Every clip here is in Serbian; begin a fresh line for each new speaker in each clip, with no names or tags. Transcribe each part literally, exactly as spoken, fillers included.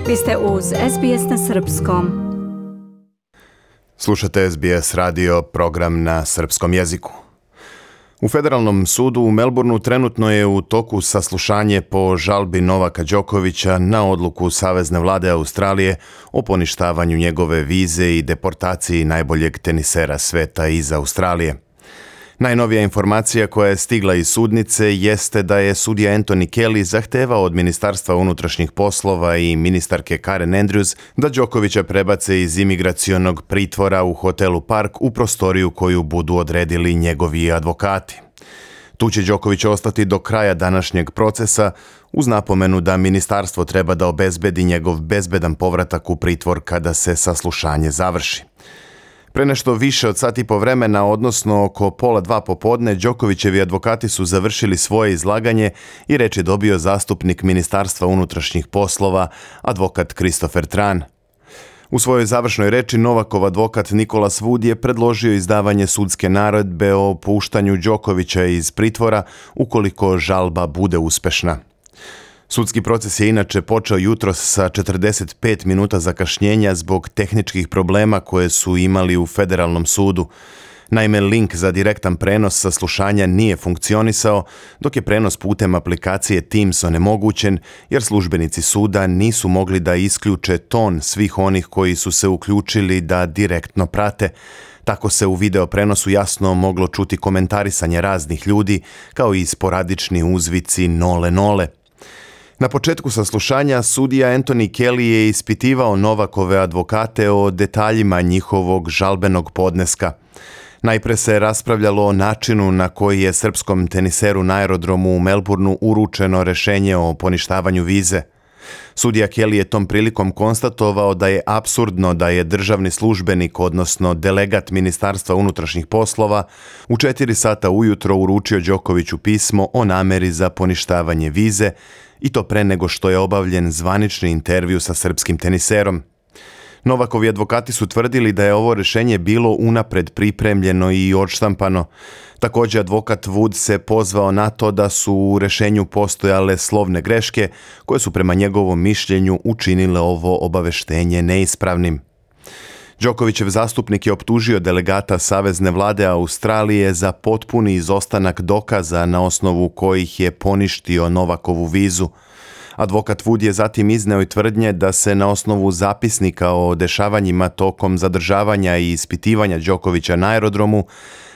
Vi ste uz S B S na srpskom.
Slušate S B S radio, program na srpskom jeziku. U Federalnom sudu u Melbourneu trenutno je u toku saslušanje po žalbi Novaka Đokovića na odluku Savezne vlade Australije o poništavanju njegove vize i deportaciji najboljeg tenisera sveta iz Australije. Najnovija informacija koja je stigla iz sudnice jeste da je sudija Anthony Kelly zahtevao od Ministarstva unutrašnjih poslova i ministarke Karen Andrews da Đokovića prebace iz imigracionog pritvora u hotelu Park u prostoriju koju budu odredili njegovi advokati. Tu će Đoković ostati do kraja današnjeg procesa uz napomenu da ministarstvo treba da obezbedi njegov bezbedan povratak u pritvor kada se saslušanje završi. Pre nešto više od sat i po vremena, odnosno oko pola dva popodne, Đokovićevi advokati su završili svoje izlaganje i reč je dobio zastupnik Ministarstva unutrašnjih poslova, advokat Christopher Tran. U svojoj završnoj reči Novakov advokat Nicholas Wood je predložio izdavanje sudske naredbe o puštanju Đokovića iz pritvora ukoliko žalba bude uspešna. Sudski proces je inače počeo jutros sa četrdeset pet minuta zakašnjenja zbog tehničkih problema koje su imali u Federalnom sudu. Naime, link za direktan prenos saslušanja nije funkcionisao, dok je prenos putem aplikacije Teams onemogućen, jer službenici suda nisu mogli da isključe ton svih onih koji su se uključili da direktno prate. Tako se u video prenosu jasno moglo čuti komentarisanje raznih ljudi, kao i sporadični uzvici nole nole. Na početku saslušanja sudija Anthony Kelly je ispitivao Novakove advokate o detaljima njihovog žalbenog podneska. Najpre se raspravljalo o načinu na koji je srpskom teniseru na aerodromu u Melbourneu uručeno rešenje o poništavanju vize. Sudija Kelly je tom prilikom konstatovao da je apsurdno da je državni službenik, odnosno delegat Ministarstva unutrašnjih poslova, u četiri sata ujutro uručio Đokoviću pismo o nameri za poništavanje vize, i to pre nego što je obavljen zvanični intervju sa srpskim teniserom. Novakovi advokati su tvrdili da je ovo rešenje bilo unapred pripremljeno i odštampano. Također advokat Wood se pozvao na to da su u rešenju postojale slovne greške koje su prema njegovom mišljenju učinile ovo obaveštenje neispravnim. Đokovićev zastupnik je optužio delegata Savezne vlade Australije za potpuni izostanak dokaza na osnovu kojih je poništio Novakovu vizu. Advokat Wood je zatim izneo i tvrdnje da se na osnovu zapisnika o dešavanjima tokom zadržavanja i ispitivanja Đokovića na aerodromu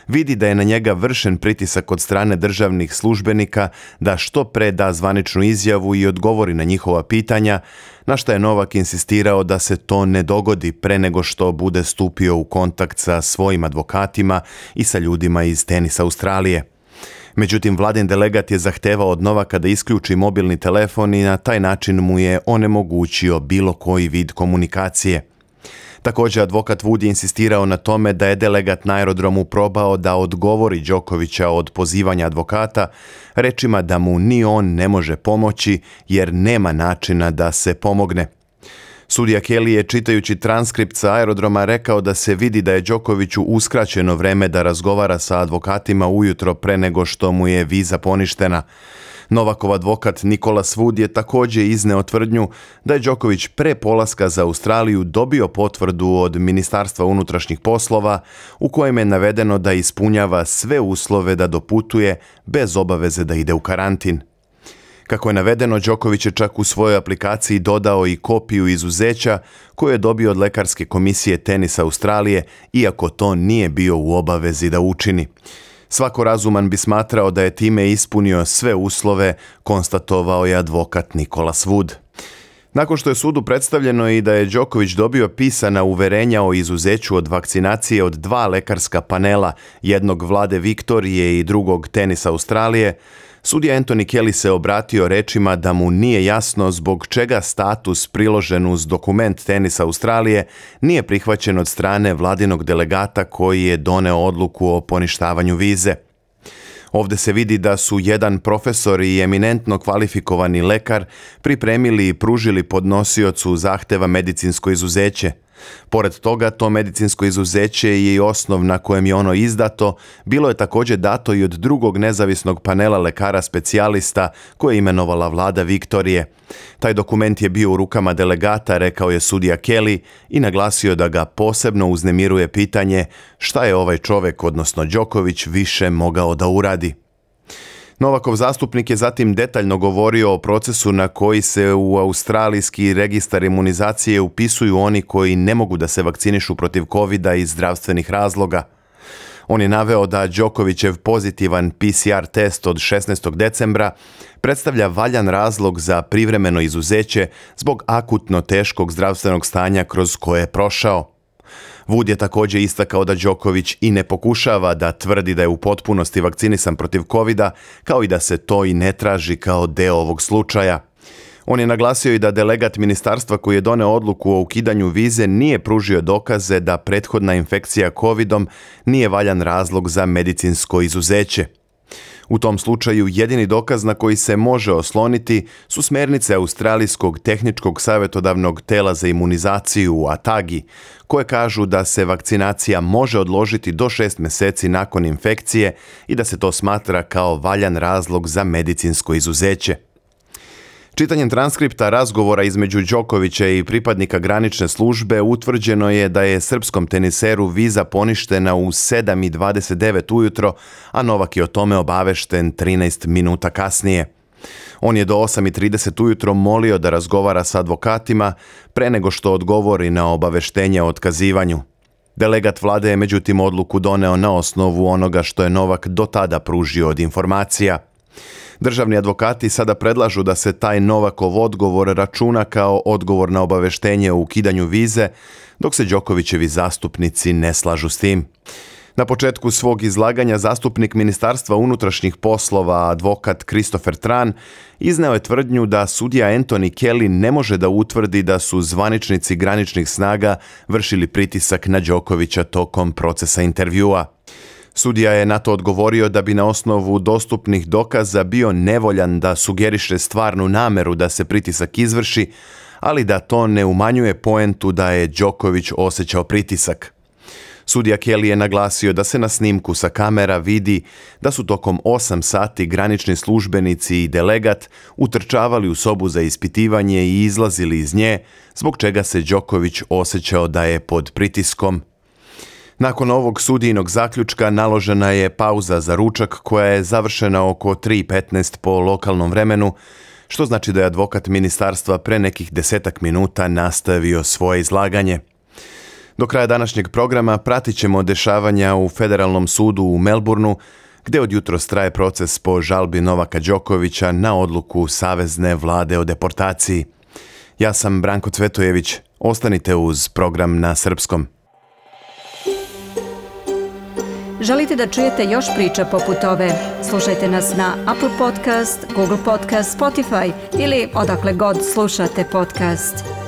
vidi da je na njega vršen pritisak od strane državnih službenika da što pre da zvaničnu izjavu i odgovori na njihova pitanja, na što je Novak insistirao da se to ne dogodi pre nego što bude stupio u kontakt sa svojim advokatima i sa ljudima iz Tenisa Australije. Međutim, vladin delegat je zahtevao od Novaka da isključi mobilni telefon i na taj način mu je onemogućio bilo koji vid komunikacije. Također, advokat Wood je insistirao na tome da je delegat na aerodromu probao da odgovori Đokovića od pozivanja advokata, rečima da mu ni on ne može pomoći jer nema načina da se pomogne. Sudija Kelly je, čitajući transkript sa aerodroma, rekao da se vidi da je Đokoviću uskraćeno vreme da razgovara sa advokatima ujutro pre nego što mu je viza poništena. Novakov advokat Nicholas Wood je također izneo tvrdnju da je Đoković pre polaska za Australiju dobio potvrdu od Ministarstva unutrašnjih poslova u kojem je navedeno da ispunjava sve uslove da doputuje bez obaveze da ide u karantin. Kako je navedeno, Đoković je čak u svojoj aplikaciji dodao i kopiju izuzeća koju je dobio od lekarske komisije Tenisa Australije, iako to nije bio u obavezi da učini. Svako razuman bi smatrao da je time ispunio sve uslove, konstatovao je advokat Nicholas Wood. Nakon što je sudu predstavljeno i da je Đoković dobio pisana uverenja o izuzeću od vakcinacije od dva lekarska panela, jednog vlade Viktorije i drugog Tenisa Australije, sudija Anthony Kelly se obratio rečima da mu nije jasno zbog čega status priložen uz dokument Tenisa Australije nije prihvaćen od strane vladinog delegata koji je doneo odluku o poništavanju vize. Ovdje se vidi da su jedan profesor i eminentno kvalifikovani lekar pripremili i pružili podnosiocu zahteva medicinsko izuzeće. Pored toga, to medicinsko izuzeće je i osnov na kojem je ono izdato, bilo je također dato i od drugog nezavisnog panela lekara specijalista koje je imenovala vlada Viktorije. Taj dokument je bio u rukama delegata, rekao je sudija Kelly i naglasio da ga posebno uznemiruje pitanje šta je ovaj čovjek, odnosno Đoković, više mogao da uradi. Novakov zastupnik je zatim detaljno govorio o procesu na koji se u australijski registar imunizacije upisuju oni koji ne mogu da se vakcinišu protiv kovida iz zdravstvenih razloga. On je naveo da Đokovićev pozitivan P C R test od šesnaestog decembra predstavlja valjan razlog za privremeno izuzeće zbog akutno teškog zdravstvenog stanja kroz koje je prošao. Wood je također istakao da Đoković i ne pokušava da tvrdi da je u potpunosti vakcinisan protiv kovida, kao i da se to i ne traži kao deo ovog slučaja. On je naglasio i da delegat ministarstva koji je doneo odluku o ukidanju vize nije pružio dokaze da prethodna infekcija covidom nije valjan razlog za medicinsko izuzeće. U tom slučaju jedini dokaz na koji se može osloniti su smjernice Australijskog tehničkog savjetodavnog tela za imunizaciju A T A G I, koje kažu da se vakcinacija može odložiti do šest mjeseci nakon infekcije i da se to smatra kao valjan razlog za medicinsko izuzeće. Čitanjem transkripta razgovora između Đokovića i pripadnika granične službe utvrđeno je da je srpskom teniseru viza poništena u sedam i dvadeset devet ujutro, a Novak je o tome obavešten trinaest minuta kasnije. On je do osam i trideset ujutro molio da razgovara sa advokatima pre nego što odgovori na obaveštenje o otkazivanju. Delegat vlade je međutim odluku doneo na osnovu onoga što je Novak do tada pružio od informacija. Državni advokati sada predlažu da se taj Novakov odgovor računa kao odgovor na obaveštenje o ukidanju vize, dok se Đokovićevi zastupnici ne slažu s tim. Na početku svog izlaganja zastupnik Ministarstva unutrašnjih poslova, advokat Christopher Tran, izneo je tvrdnju da sudija Anthony Kelly ne može da utvrdi da su zvaničnici graničnih snaga vršili pritisak na Đokovića tokom procesa intervjua. Sudija je na to odgovorio da bi na osnovu dostupnih dokaza bio nevoljan da sugeriše stvarnu nameru da se pritisak izvrši, ali da to ne umanjuje poentu da je Đoković osjećao pritisak. Sudija Kelly je naglasio da se na snimku sa kamera vidi da su tokom osam sati granični službenici i delegat utrčavali u sobu za ispitivanje i izlazili iz nje, zbog čega se Đoković osjećao da je pod pritiskom. Nakon ovog sudijinog zaključka naložena je pauza za ručak koja je završena oko tri i petnaest po lokalnom vremenu, što znači da je advokat ministarstva pre nekih desetak minuta nastavio svoje izlaganje. Do kraja današnjeg programa pratit ćemo dešavanja u Federalnom sudu u Melbourneu, gdje od jutros traje proces po žalbi Novaka Đokovića na odluku Savezne vlade o deportaciji. Ja sam Branko Cvetojević, ostanite uz program na srpskom.
Želite da čujete još priča poput ove? Slušajte nas na Apple Podcast, Google Podcast, Spotify ili odakle god slušate podcast.